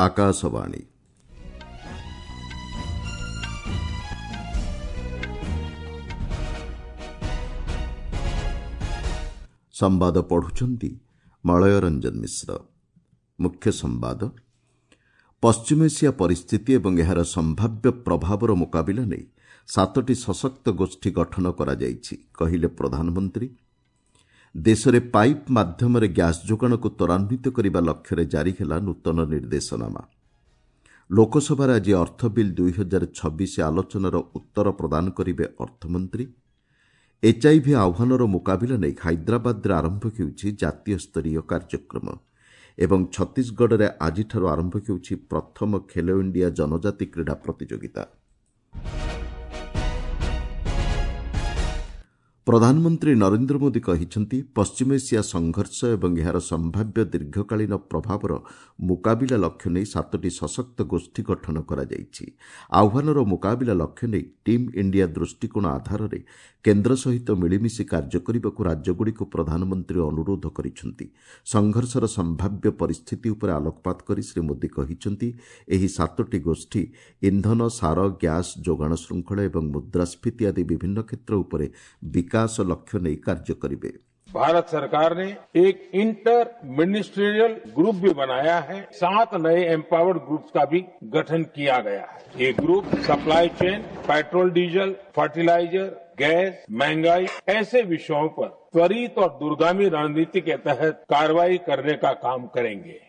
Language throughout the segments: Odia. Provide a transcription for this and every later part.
ଆକାଶବାଣୀ। ସମ୍ବାଦ ପଢୁଛନ୍ତି ମଳୟ ରଞ୍ଜନ ମିଶ୍ର। ମୁଖ୍ୟ ସମ୍ବାଦ। ପଶ୍ଚିମ ଏସିଆ ପରିସ୍ଥିତି ଏବଂ ଏହାର ସମ୍ଭାବ୍ୟ ପ୍ରଭାବର ମୁକାବିଲା ନେଇ 7ଟି ସଶକ୍ତ ଗୋଷ୍ଠୀ ଗଠନ କରାଯାଇଛି, କହିଲେ ପ୍ରଧାନମନ୍ତ୍ରୀ। ଦେଶରେ ପାଇପ୍ ମାଧ୍ୟମରେ ଗ୍ୟାସ୍ ଯୋଗାଣକୁ ତ୍ୱରାନ୍ୱିତ କରିବା ଲକ୍ଷ୍ୟରେ ଜାରି ହେଲା ନୂତନ ନିର୍ଦ୍ଦେଶନାମା। ଲୋକସଭାରେ ଆଜି ଅର୍ଥ ବିଲ୍ 2026 ଆଲୋଚନାର ଉତ୍ତର ପ୍ରଦାନ କରିବେ ଅର୍ଥମନ୍ତ୍ରୀ। ଏଚ୍ଆଇଭି ଆହ୍ୱାନର ମୁକାବିଲା ନେଇ ହାଇଦ୍ରାବାଦରେ ଆରମ୍ଭ ହେଉଛି ଜାତୀୟ ସ୍ତରୀୟ କାର୍ଯ୍ୟକ୍ରମ ଏବଂ ଛତିଶଗଡ଼ରେ ଆଜିଠାରୁ ଆରମ୍ଭ ହେଉଛି ପ୍ରଥମ ଖେଲୋ ଇଣ୍ଡିଆ ଜନଜାତି କ୍ରୀଡ଼ା ପ୍ରତିଯୋଗିତା। ପ୍ରଧାନମନ୍ତ୍ରୀ ନରେନ୍ଦ୍ର ମୋଦି କହିଛନ୍ତି, ପଶ୍ଚିମ ଏସିଆ ସଂଘର୍ଷ ଏବଂ ଏହାର ସମ୍ଭାବ୍ୟ ଦୀର୍ଘକାଳୀନ ପ୍ରଭାବର ମୁକାବିଲା ଲକ୍ଷ୍ୟ ନେଇ 7ଟି ସଶକ୍ତ ଗୋଷ୍ଠୀ ଗଠନ କରାଯାଇଛି। ଆହ୍ୱାନର ମୁକାବିଲା ଲକ୍ଷ୍ୟ ନେଇ ଟିମ୍ ଇଣ୍ଡିଆ ଦୃଷ୍ଟିକୋଣ ଆଧାରରେ କେନ୍ଦ୍ର ସହିତ ମିଳିମିଶି କାର୍ଯ୍ୟ କରିବାକୁ ରାଜ୍ୟଗୁଡ଼ିକୁ ପ୍ରଧାନମନ୍ତ୍ରୀ ଅନୁରୋଧ କରିଛନ୍ତି। ସଂଘର୍ଷର ସମ୍ଭାବ୍ୟ ପରିସ୍ଥିତି ଉପରେ ଆଲୋକପାତ କରି ଶ୍ରୀ ମୋଦି କହିଛନ୍ତି, ଏହି 7ଟି ଗୋଷ୍ଠୀ ଇନ୍ଧନ, ସାର, ଗ୍ୟାସ୍ ଯୋଗାଣ ଶୃଙ୍ଖଳ ଏବଂ ମୁଦ୍ରାସ୍ଫୀତି ଆଦି ବିଭିନ୍ନ କ୍ଷେତ୍ର ଉପରେ ବିକାଶ ଲକ୍ଷ୍ୟ ନେଇ କାର୍ଯ୍ୟ କରିବେ। भारत सरकार ने एक इंटर मिनिस्ट्रियल ग्रुप भी बनाया है। 7 नए एम्पावर्ड ग्रुप्स का भी गठन किया गया है। ये group supply chain, petrol diesel, fertiliser, gas, महंगाई ऐसे विषयों पर त्वरित और दूरगामी रणनीति के तहत कार्रवाई करने का काम करेंगे।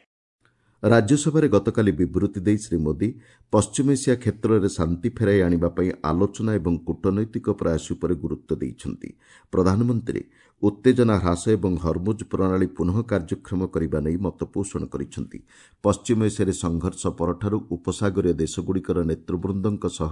ରାଜ୍ୟସଭାରେ ଗତକାଲି ବିବୃତି ଦେଇ ଶ୍ରୀ ମୋଦି ପଶ୍ଚିମ ଏସିଆ କ୍ଷେତ୍ରରେ ଶାନ୍ତି ଫେରାଇ ଆଣିବା ପାଇଁ ଆଲୋଚନା ଏବଂ କୂଟନୈତିକ ପ୍ରୟାସ ଉପରେ ଗୁରୁତ୍ୱ ଦେଇଛନ୍ତି। ପ୍ରଧାନମନ୍ତ୍ରୀ ଉତ୍ତେଜନା ହ୍ରାସ ଏବଂ ହରମୁଜ ପ୍ରଣାଳୀ ପୁନଃ କାର୍ଯ୍ୟକ୍ଷମ କରିବା ନେଇ ମତପୋଷଣ କରିଛନ୍ତି। ପଶ୍ଚିମ ଏସିଆରେ ସଂଘର୍ଷ ପରଠାରୁ ଉପସାଗରୀୟ ଦେଶଗୁଡ଼ିକର ନେତୃବୃନ୍ଦଙ୍କ ସହ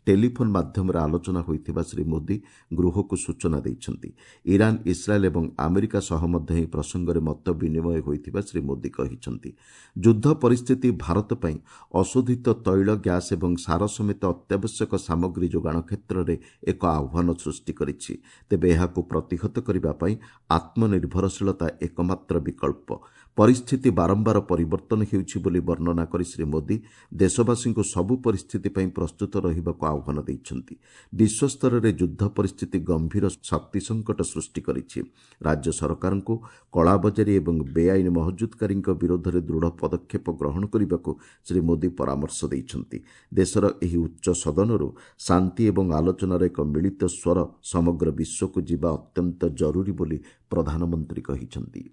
ଟେଲିଫୋନ୍ ମାଧ୍ୟମରେ ଆଲୋଚନା ହୋଇଥିବା ଶ୍ରୀ ମୋଦି ଗୃହକୁ ସୂଚନା ଦେଇଛନ୍ତି। ଇରାନ୍, ଇସ୍ରାଏଲ୍ ଏବଂ ଆମେରିକା ସହ ମଧ୍ୟ ଏହି ପ୍ରସଙ୍ଗରେ ମତ ବିନିମୟ ହୋଇଥିବା ଶ୍ରୀ ମୋଦି କହିଛନ୍ତି। ଯୁଦ୍ଧ ପରିସ୍ଥିତି ଭାରତ ପାଇଁ ଅଶୋଧିତ ତୈଳ, ଗ୍ୟାସ୍ ଏବଂ ସାର ସମେତ ଅତ୍ୟାବଶ୍ୟକ ସାମଗ୍ରୀ ଯୋଗାଣ କ୍ଷେତ୍ରରେ ଏକ ଆହ୍ୱାନ ସୃଷ୍ଟି କରିଛି। ତେବେ ଏହାକୁ ପ୍ରତିହତ କରିବା ପାଇଁ ଆତ୍ମନିର୍ଭରଶୀଳତା ଏକମାତ୍ର ବିକଳ୍ପ। ପରିସ୍ଥିତି ବାରମ୍ବାର ପରିବର୍ତ୍ତନ ହେଉଛି ବୋଲି ବର୍ଣ୍ଣନା କରି ଶ୍ରୀ ମୋଦି ଦେଶବାସୀଙ୍କୁ ସବୁ ପରିସ୍ଥିତି ପାଇଁ ପ୍ରସ୍ତୁତ ରହିବାକୁ ଆହ୍ୱାନ ଦେଇଛନ୍ତି। ବିଶ୍ୱସ୍ତରରେ ଯୁଦ୍ଧ ପରିସ୍ଥିତି ଗମ୍ଭୀର ଶକ୍ତି ସଙ୍କଟ ସୃଷ୍ଟି କରିଛି। ରାଜ୍ୟ ସରକାରଙ୍କୁ କଳାବଜାରୀ ଏବଂ ବେଆଇନ ମହଜୁଦକାରୀଙ୍କ ବିରୋଧରେ ଦୃଢ଼ ପଦକ୍ଷେପ ଗ୍ରହଣ କରିବାକୁ ଶ୍ରୀ ମୋଦି ପରାମର୍ଶ ଦେଇଛନ୍ତି। ଦେଶର ଏହି ଉଚ୍ଚ ସଦନରୁ ଶାନ୍ତି ଏବଂ ଆଲୋଚନାର ଏକ ମିଳିତ ସ୍ୱର ସମଗ୍ର ବିଶ୍ୱକୁ ଯିବା ଅତ୍ୟନ୍ତ ଜରୁରୀ ବୋଲି ପ୍ରଧାନମନ୍ତ୍ରୀ କହିଛନ୍ତି।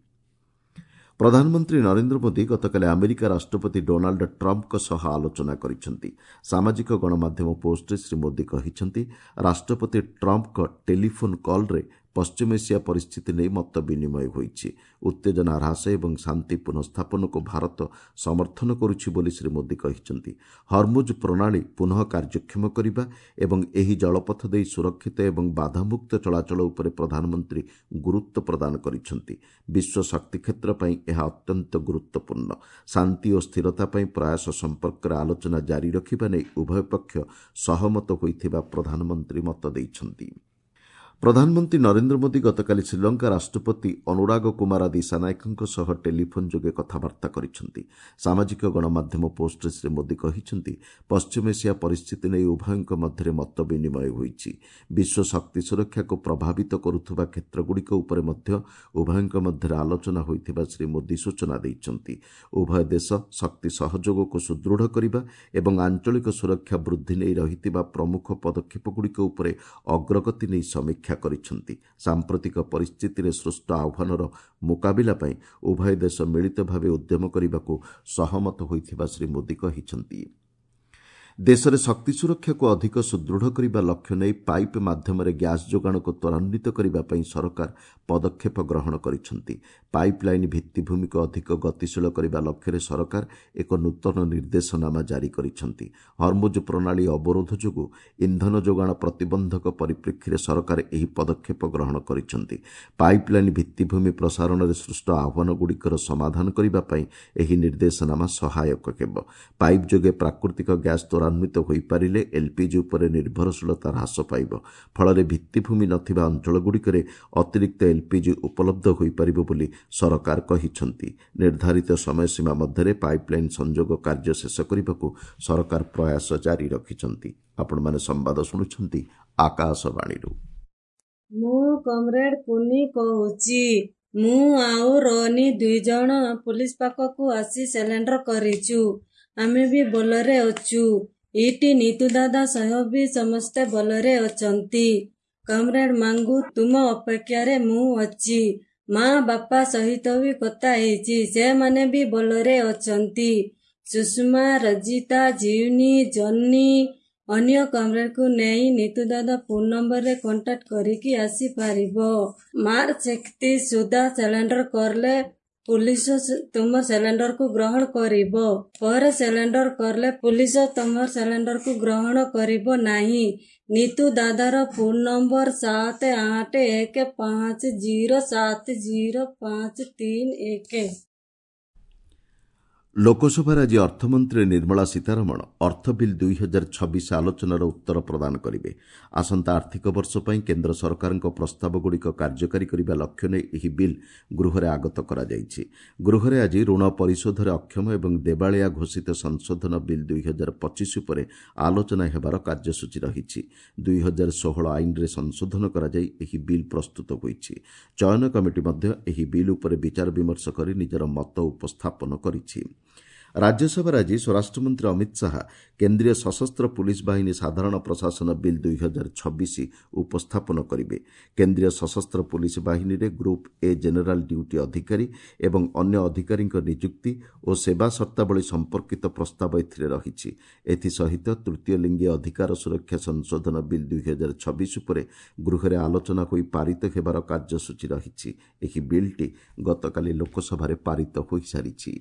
ପ୍ରଧାନମନ୍ତ୍ରୀ ନରେନ୍ଦ୍ର ମୋଦି ଗତକାଲି ଆମେରିକା ରାଷ୍ଟ୍ରପତି ଡୋନାଲ୍ଡ ଟ୍ରମ୍ପଙ୍କ ସହ ଆଲୋଚନା କରିଛନ୍ତି। ସାମାଜିକ ଗଣମାଧ୍ୟମ ପୋଷ୍ଟରେ ଶ୍ରୀ ମୋଦି କହିଛନ୍ତି, ରାଷ୍ଟ୍ରପତି ଟ୍ରମ୍ପଙ୍କ ଟେଲିଫୋନ୍ କଲ୍ରେ ପଶ୍ଚିମ ଏସିଆ ପରିସ୍ଥିତି ନେଇ ମତ ବିନିମୟ ହୋଇଛି। ଉତ୍ତେଜନା ହ୍ରାସ ଏବଂ ଶାନ୍ତି ପୁନଃସ୍ଥାପନକୁ ଭାରତ ସମର୍ଥନ କରୁଛି ବୋଲି ଶ୍ରୀ ମୋଦି କହିଛନ୍ତି। ହରମୁଜ ପ୍ରଣାଳୀ ପୁନଃ କାର୍ଯ୍ୟକ୍ଷମ କରିବା ଏବଂ ଏହି ଜଳପଥ ଦେଇ ସୁରକ୍ଷିତ ଏବଂ ବାଧାମୁକ୍ତ ଚଳାଚଳ ଉପରେ ପ୍ରଧାନମନ୍ତ୍ରୀ ଗୁରୁତ୍ୱ ପ୍ରଦାନ କରିଛନ୍ତି। ବିଶ୍ୱ ଶକ୍ତି କ୍ଷେତ୍ର ପାଇଁ ଏହା ଅତ୍ୟନ୍ତ ଗୁରୁତ୍ୱପୂର୍ଣ୍ଣ। ଶାନ୍ତି ଓ ସ୍ଥିରତା ପାଇଁ ପ୍ରୟାସ ସମ୍ପର୍କରେ ଆଲୋଚନା ଜାରି ରଖିବା ନେଇ ଉଭୟ ପକ୍ଷ ସହମତ ହୋଇଥିବା ପ୍ରଧାନମନ୍ତ୍ରୀ ମତ ଦେଇଛନ୍ତି। ପ୍ରଧାନମନ୍ତ୍ରୀ ନରେନ୍ଦ୍ର ମୋଦି ଗତକାଲି ଶ୍ରୀଲଙ୍କା ରାଷ୍ଟ୍ରପତି ଅନୁରାଗ କୁମାରା ଦିଶାନାୟକଙ୍କ ସହ ଟେଲିଫୋନ୍ ଯୋଗେ କଥାବାର୍ତ୍ତା କରିଛନ୍ତି। ସାମାଜିକ ଗଣମାଧ୍ୟମ ପୋଷ୍ଟରେ ଶ୍ରୀ ମୋଦି କହିଛନ୍ତି, ପଶ୍ଚିମ ଏସିଆ ପରିସ୍ଥିତି ନେଇ ଉଭୟଙ୍କ ମଧ୍ୟରେ ମତ ବିନିମୟ ହୋଇଛି। ବିଶ୍ୱ ଶକ୍ତି ସୁରକ୍ଷାକୁ ପ୍ରଭାବିତ କରୁଥିବା କ୍ଷେତ୍ରଗୁଡ଼ିକ ଉପରେ ମଧ୍ୟ ଉଭୟଙ୍କ ମଧ୍ୟରେ ଆଲୋଚନା ହୋଇଥିବା ଶ୍ରୀ ମୋଦି ସୂଚନା ଦେଇଛନ୍ତି। ଉଭୟ ଦେଶ ଶକ୍ତି ସହଯୋଗକୁ ସୁଦୃଢ଼ କରିବା ଏବଂ ଆଞ୍ଚଳିକ ସୁରକ୍ଷା ବୃଦ୍ଧି ନେଇ ରହିଥିବା ପ୍ରମୁଖ ପଦକ୍ଷେପଗୁଡ଼ିକ ଉପରେ ଅଗ୍ରଗତି ନେଇ ସମୀକ୍ଷା କରିଛନ୍ତି। ସାମ୍ପ୍ରତିକ ପରିସ୍ଥିତିରେ ସୃଷ୍ଟ ଆହ୍ୱାନର ମୁକାବିଲା ପାଇଁ ଉଭୟ ଦେଶ ମିଳିତ ଭାବେ ଉଦ୍ୟମ କରିବାକୁ ସହମତ ହୋଇଥିବା ଶ୍ରୀ ମୋଦି କହିଛନ୍ତି। ଦେଶରେ ଶକ୍ତି ସୁରକ୍ଷାକୁ ଅଧିକ ସୁଦୃଢ଼ କରିବା ଲକ୍ଷ୍ୟ ନେଇ ପାଇପ୍ ମାଧ୍ୟମରେ ଗ୍ୟାସ୍ ଯୋଗାଣକୁ ତ୍ୱରାନ୍ୱିତ କରିବା ପାଇଁ ସରକାର ପଦକ୍ଷେପ ଗ୍ରହଣ କରିଛନ୍ତି। ପାଇପ୍ ଲାଇନ୍ ଭିତ୍ତିଭୂମିକୁ ଅଧିକ ଗତିଶୀଳ କରିବା ଲକ୍ଷ୍ୟରେ ସରକାର ଏକ ନୂତନ ନିର୍ଦ୍ଦେଶନାମା ଜାରି କରିଛନ୍ତି। ହରମୁଜ ପ୍ରଣାଳୀ ଅବରୋଧ ଯୋଗୁଁ ଇନ୍ଧନ ଯୋଗାଣ ପ୍ରତିବନ୍ଧକ ପରିପ୍ରେକ୍ଷୀରେ ସରକାର ଏହି ପଦକ୍ଷେପ ଗ୍ରହଣ କରିଛନ୍ତି। ପାଇପ୍ ଲାଇନ୍ ଭିତ୍ତିଭୂମି ପ୍ରସାରଣରେ ସୃଷ୍ଟ ଆହ୍ୱାନଗୁଡ଼ିକର ସମାଧାନ କରିବା ପାଇଁ ଏହି ନିର୍ଦ୍ଦେଶନାମା ସହାୟକ ହେବ। ପାଇପ୍ ଯୋଗେ ପ୍ରାକୃତିକ ଗ୍ୟାସ୍ ତ୍ୱରାନ୍ୱିତ ହୋଇପାରିଲେ ଏଲ୍ପିଜି ଉପରେ ନିର୍ଭରଶୀଳତା ହ୍ରାସ ପାଇବ। ଫଳରେ ଭିତ୍ତିଭୂମି ନଥିବା ଅଞ୍ଚଳଗୁଡ଼ିକରେ ଅତିରିକ୍ତ ଏଲ୍ପିଜି ଉପଲବ୍ଧ ହୋଇପାରିବ ବୋଲି ସରକାର କହିଛନ୍ତି। ନିର୍ଦ୍ଧାରିତ ସମୟସୀମା ମଧ୍ୟରେ ପାଇପ୍ଲାଇନ୍ ସଂଯୋଗ କାର୍ଯ୍ୟ ଶେଷ କରିବାକୁ ସରକାର ପ୍ରୟାସ ଜାରି ରଖିଛନ୍ତି। ଆପଣମାନେ ସମ୍ବାଦ ଶୁଣୁଛନ୍ତି ଆକାଶବାଣୀରୁ। ମୁଁ କମ୍ରେଡ୍ କୁନି କହୁଛି। ମୁଁ ଆଉ ରୋନି ଦୁଇଜଣ ପୁଲିସ ପାଖକୁ ଆସି ସରେଣ୍ଡର କରିଛୁ। ଆମେ ବି ଭଲରେ ଅଛୁ। ଏଇଠି ନିତୁ ଦାଦା ସହ ବି ସମସ୍ତେ ଭଲରେ ଅଛନ୍ତି। କମ୍ରେଡ୍ ମାଙ୍ଗୁ, ତୁମ ଅପେକ୍ଷାରେ ମୁଁ ଅଛି। ମା ବାପା ସହିତ ବି କଥା ହେଇଛି, ସେମାନେ ବି ଭଲରେ ଅଛନ୍ତି। ସୁଷମା, ରଜିତା, ଜିଉନି, ଜନି, ଅନ୍ୟ କମ୍ରେଡ୍କୁ ନେଇ ନିତୁ ଦାଦା ଫୋନ୍ ନମ୍ବରରେ କଣ୍ଟାକ୍ଟ କରିକି ଆସିପାରିବ। ମାର୍ଚ୍ଚ 31 ସୁଦ୍ଧା ସରେଣ୍ଡର କଲେ ପୁଲିସ ତୁମ ସରେଣ୍ଡରକୁ ଗ୍ରହଣ କରିବ। ପରେ ସରେଣ୍ଡର କଲେ ପୁଲିସ ତୁମ ସରେଣ୍ଡରକୁ ଗ୍ରହଣ କରିବ ନାହିଁ। ନିତୁ ଦାଦାର ଫୋନ୍ ନମ୍ବର 7 8 1 5 0 7 0 5 3 1। ଲୋକସଭାରେ ଆଜି ଅର୍ଥମନ୍ତ୍ରୀ ନିର୍ମଳା ସୀତାରମଣ ଅର୍ଥ ବିଲ୍ 2026 ଆଲୋଚନାର ଉତ୍ତର ପ୍ରଦାନ କରିବେ। ଆସନ୍ତା ଆର୍ଥିକ ବର୍ଷ ପାଇଁ କେନ୍ଦ୍ର ସରକାରଙ୍କ ପ୍ରସ୍ତାବଗୁଡ଼ିକ କାର୍ଯ୍ୟକାରୀ କରିବା ଲକ୍ଷ୍ୟ ନେଇ ଏହି ବିଲ୍ ଗୃହରେ ଆଗତ କରାଯାଇଛି। ଗୃହରେ ଆଜି ଋଣ ପରିଶୋଧରେ ଅକ୍ଷମ ଏବଂ ଦେବାଳିଆ ଘୋଷିତ ସଂଶୋଧନ ବିଲ୍ 2025 ଉପରେ ଆଲୋଚନା ହେବାର କାର୍ଯ୍ୟସୂଚୀ ରହିଛି। 2016 ଆଇନରେ ସଂଶୋଧନ କରାଯାଇ ଏହି ବିଲ୍ ପ୍ରସ୍ତୁତ ହୋଇଛି। ଚୟନ କମିଟି ମଧ୍ୟ ଏହି ବିଲ୍ ଉପରେ ବିଚାର ବିମର୍ଶ କରି ନିଜର ମତ ଉପସ୍ଥାପନ କରିଛି। ରାଜ୍ୟସଭାରେ ଆଜି ସ୍ୱରାଷ୍ଟ୍ରମନ୍ତ୍ରୀ ଅମିତ ଶାହା କେନ୍ଦ୍ରୀୟ ସଶସ୍ତ୍ର ପୁଲିସ୍ ବାହିନୀ ସାଧାରଣ ପ୍ରଶାସନ ବିଲ୍ 2026 ଉପସ୍ଥାପନ କରିବେ। କେନ୍ଦ୍ରୀୟ ସଶସ୍ତ୍ର ପୁଲିସ୍ ବାହିନୀରେ ଗ୍ରୁପ୍ ଏ ଜେନେରାଲ୍ ଡ୍ୟୁଟି ଅଧିକାରୀ ଏବଂ ଅନ୍ୟ ଅଧିକାରୀଙ୍କ ନିଯୁକ୍ତି ଓ ସେବା ସର୍ତ୍ତାବଳୀ ସମ୍ପର୍କିତ ପ୍ରସ୍ତାବ ଏଥିରେ ରହିଛି। ଏଥିସହିତ ତୃତୀୟ ଲିଙ୍ଗୀ ଅଧିକାର ସୁରକ୍ଷା ସଂଶୋଧନ ବିଲ୍ 2026 ଉପରେ ଗୃହରେ ଆଲୋଚନା ହୋଇ ପାରିତ ହେବାର କାର୍ଯ୍ୟସୂଚୀ ରହିଛି। ଏହି ବିଲ୍ଟି ଗତକାଲି ଲୋକସଭାରେ ପାରିତ ହୋଇସାରିଛି।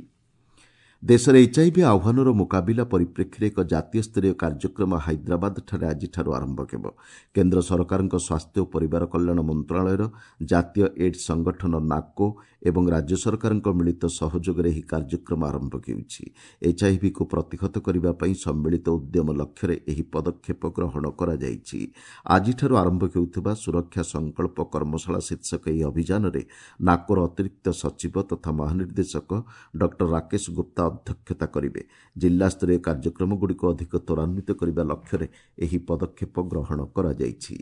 ଦେଶରେ ଏଚ୍ଆଇଭି ଆହ୍ୱାନର ମୁକାବିଲା ପରିପ୍ରେକ୍ଷୀରେ ଏକ ଜାତୀୟ ସ୍ତରୀୟ କାର୍ଯ୍ୟକ୍ରମ ହାଇଦ୍ରାବାଦଠାରେ ଆଜିଠାରୁ ଆରମ୍ଭ ହେବ। କେନ୍ଦ୍ର ସରକାରଙ୍କ ସ୍ୱାସ୍ଥ୍ୟ ଓ ପରିବାର କଲ୍ୟାଣ ମନ୍ତ୍ରଣାଳୟର ଜାତୀୟ ଏଡ୍ସ ସଂଗଠନ ନାକୋ ଏବଂ ରାଜ୍ୟ ସରକାରଙ୍କ ମିଳିତ ସହଯୋଗରେ ଏହି କାର୍ଯ୍ୟକ୍ରମ ଆରମ୍ଭ ହେଉଛି। ଏଚ୍ଆଇଭିକୁ ପ୍ରତିହତ କରିବା ପାଇଁ ସମ୍ମିଳିତ ଉଦ୍ୟମ ଲକ୍ଷ୍ୟରେ ଏହି ପଦକ୍ଷେପ ଗ୍ରହଣ କରାଯାଇଛି। ଆଜିଠାରୁ ଆରମ୍ଭ ହେଉଥିବା ସୁରକ୍ଷା ସଂକଳ୍ପ କର୍ମଶାଳା ଶୀର୍ଷକ ଏହି ଅଭିଯାନରେ ନାକୋର ଅତିରିକ୍ତ ସଚିବ ତଥା ମହାନିର୍ଦ୍ଦେଶକ ଡକ୍ଟର ରାକେଶ ଗୁପ୍ତା ଅଧ୍ୟକ୍ଷତା କରିବେ। ଜିଲ୍ଲାସ୍ତରୀୟ କାର୍ଯ୍ୟକ୍ରମଗୁଡ଼ିକୁ ଅଧିକ ତ୍ୱରାନ୍ୱିତ କରିବା ଲକ୍ଷ୍ୟରେ ଏହି ପଦକ୍ଷେପ ଗ୍ରହଣ କରାଯାଇଛି।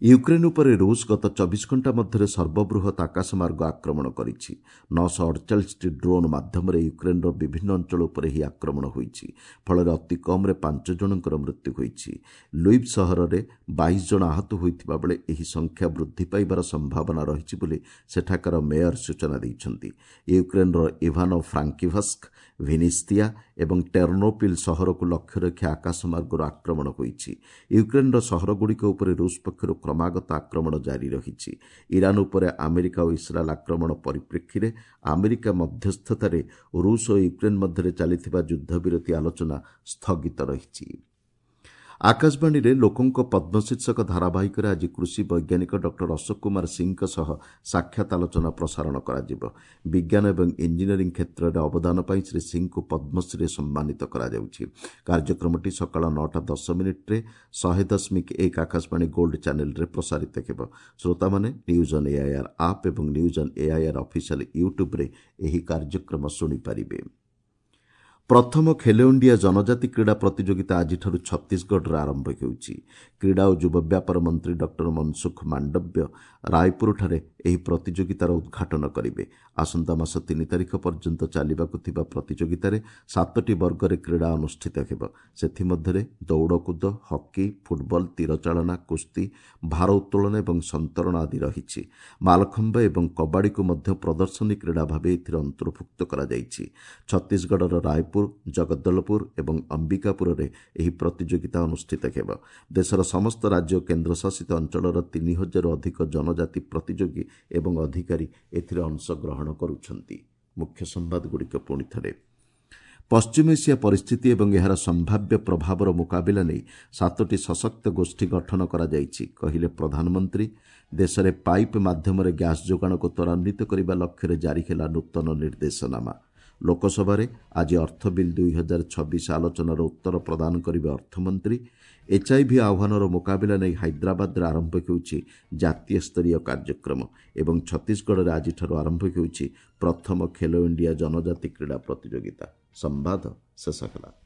ୟୁକ୍ରେନ୍ ଉପରେ ରୁଷ୍ ଗତ 24 ଘଣ୍ଟା ମଧ୍ୟରେ ସର୍ବବୃହତ୍ ଆକାଶମାର୍ଗ ଆକ୍ରମଣ କରିଛି। 948ଟି ଡ୍ରୋନ୍ ମାଧ୍ୟମରେ ୟୁକ୍ରେନ୍ର ବିଭିନ୍ନ ଅଞ୍ଚଳ ଉପରେ ଏହି ଆକ୍ରମଣ ହୋଇଛି। ଫଳରେ ଅତି କମ୍ରେ 5 ଜଣଙ୍କର ମୃତ୍ୟୁ ହୋଇଛି। ଲୁଇଭ୍ ସହରରେ 22 ଜଣ ଆହତ ହୋଇଥିବା ବେଳେ ଏହି ସଂଖ୍ୟା ବୃଦ୍ଧି ପାଇବାର ସମ୍ଭାବନା ରହିଛି ବୋଲି ସେଠାକାର ମେୟର ସୂଚନା ଦେଇଛନ୍ତି। ୟୁକ୍ରେନ୍ର ଇଭାନୋ ଫ୍ରାଙ୍କିଭସ୍କ, ଭିନିସ୍ତିଆ ଏବଂ ଟେର୍ନୋପିଲ୍ ସହରକୁ ଲକ୍ଷ୍ୟ ରଖି ଆକାଶମାର୍ଗରୁ ଆକ୍ରମଣ ହୋଇଛି। ୟୁକ୍ରେନ୍ର ସହରଗୁଡ଼ିକ ଉପରେ ରୁଷ୍ ପକ୍ଷରୁ କ୍ରମାଗତ ଆକ୍ରମଣ ଜାରି ରହିଛି। ଇରାନ୍ ଉପରେ ଆମେରିକା ଓ ଇସ୍ରାଏଲ୍ ଆକ୍ରମଣ ପରିପ୍ରେକ୍ଷୀରେ ଆମେରିକା ମଧ୍ୟସ୍ଥତାରେ ରୁଷ୍ ଓ ୟୁକ୍ରେନ୍ ମଧ୍ୟରେ ଚାଲିଥିବା ଯୁଦ୍ଧବିରତି ଆଲୋଚନା ସ୍ଥଗିତ ରହିଛି। ଆକାଶବାଣୀରେ ଲୋକଙ୍କ ପଦ୍ମ ଶୀର୍ଷକ ଧାରାବାହିକରେ ଆଜି କୃଷି ବୈଜ୍ଞାନିକ ଡକ୍ଟର ଅଶୋକ କୁମାର ସିଂଙ୍କ ସହ ସାକ୍ଷାତ ଆଲୋଚନା ପ୍ରସାରଣ କରାଯିବ। ବିଜ୍ଞାନ ଏବଂ ଇଞ୍ଜିନିୟରିଂ କ୍ଷେତ୍ରରେ ଅବଦାନ ପାଇଁ ଶ୍ରୀ ସିଂଙ୍କୁ ପଦ୍ମଶ୍ରୀରେ ସମ୍ମାନିତ କରାଯାଉଛି। କାର୍ଯ୍ୟକ୍ରମଟି ସକାଳ 9ଟା 10 ମିନିଟ୍ରେ 100.1 ଆକାଶବାଣୀ ଗୋଲ୍ଡ ଚ୍ୟାନେଲ୍ରେ ପ୍ରସାରିତ ହେବ। ଶ୍ରୋତାମାନେ ନ୍ୟୁଜ୍ ଅନ୍ ଏଆଇଆର୍ ଆପ୍ ଏବଂ ନ୍ୟୁଜ୍ ଅନ୍ ଏଆଇଆର୍ ଅଫିସିଆଲ୍ ୟୁଟ୍ୟୁବ୍ରେ ଏହି କାର୍ଯ୍ୟକ୍ରମ ଶୁଣିପାରିବେ। ପ୍ରଥମ ଖେଲୋ ଇଣ୍ଡିଆ ଜନଜାତି କ୍ରୀଡ଼ା ପ୍ରତିଯୋଗିତା ଆଜିଠାରୁ ଛତିଶଗଡ଼ରେ ଆରମ୍ଭ ହେଉଛି। କ୍ରୀଡ଼ା ଓ ଯୁବ ବ୍ୟାପାର ମନ୍ତ୍ରୀ ଡକ୍ଟର ମନସୁଖ ମାଣ୍ଡବ୍ୟ ରାୟପୁରଠାରେ ଏହି ପ୍ରତିଯୋଗିତାର ଉଦ୍ଘାଟନ କରିବେ। ଆସନ୍ତା ମାସ 3 ତାରିଖ ପର୍ଯ୍ୟନ୍ତ ଚାଲିବାକୁ ଥିବା ପ୍ରତିଯୋଗିତାରେ ସାତଟି ବର୍ଗରେ କ୍ରୀଡ଼ା ଅନୁଷ୍ଠିତ ହେବ। ସେଥିମଧ୍ୟରେ ଦୌଡ଼କୁଦ, ହକି, ଫୁଟବଲ, ତୀରଚାଳନା, କୁସ୍ତି, ଭାର ଉତ୍ତୋଳନ ଏବଂ ସନ୍ତରଣ ଆଦି ରହିଛି। ମାଲଖମ୍ବ ଏବଂ କବାଡ଼ିକୁ ମଧ୍ୟ ପ୍ରଦର୍ଶନୀ କ୍ରୀଡ଼ା ଭାବେ ଏଥିରେ ଅନ୍ତର୍ଭୁକ୍ତ କରାଯାଇଛି। ଛତିଶଗଡ଼ର ରାୟପୁର, ଜଗଦଲପୁର ଏବଂ ଅମ୍ବିକାପୁରରେ ଏହି ପ୍ରତିଯୋଗିତା ଅନୁଷ୍ଠିତ ହେବ। ଦେଶର ସମସ୍ତ ରାଜ୍ୟ ଓ କେନ୍ଦ୍ରଶାସିତ ଅଞ୍ଚଳର 3000ରୁ ଅଧିକ ଜନଜାତି ପ୍ରତିଯୋଗୀ ଏବଂ ଅଧିକାରୀ ଏଥିରେ ଅଂଶଗ୍ରହଣ କରୁଛନ୍ତି। ମୁଖ୍ୟ ସମ୍ବାଦଗୁଡ଼ିକ ପୁଣି ଥରେ। ପଶ୍ଚିମ ଏସିଆ ପରିସ୍ଥିତି ଏବଂ ଏହାର ସମ୍ଭାବ୍ୟ ପ୍ରଭାବର ମୁକାବିଲା ନେଇ ସାତୋଟି ସଶକ୍ତ ଗୋଷ୍ଠୀ ଗଠନ କରାଯାଇଛି, କହିଲେ ପ୍ରଧାନମନ୍ତ୍ରୀ। ଦେଶରେ ପାଇପ୍ ମାଧ୍ୟମରେ ଗ୍ୟାସ୍ ଯୋଗାଣକୁ ତ୍ୱରାନ୍ୱିତ କରିବା ଲକ୍ଷ୍ୟରେ ଜାରି ହେଲା ନୂତନ ନିର୍ଦ୍ଦେଶନାମା। ଲୋକସଭାରେ ଆଜି ଅର୍ଥ ବିଲ୍ 2026 ଆଲୋଚନାର ଉତ୍ତର ପ୍ରଦାନ କରିବେ ଅର୍ଥମନ୍ତ୍ରୀ। ଏଚ୍ଆଇଭି ଆହ୍ୱାନର ମୁକାବିଲା ନେଇ ହାଇଦ୍ରାବାଦରେ ଆରମ୍ଭ ହେଉଛି ଜାତୀୟ ସ୍ତରୀୟ କାର୍ଯ୍ୟକ୍ରମ ଏବଂ ଛତିଶଗଡ଼ରେ ଆଜିଠାରୁ ଆରମ୍ଭ ହେଉଛି ପ୍ରଥମ ଖେଲୋ ଇଣ୍ଡିଆ ଜନଜାତି କ୍ରୀଡ଼ା ପ୍ରତିଯୋଗିତା। ସମ୍ବାଦ ଶେଷ ହେଲା।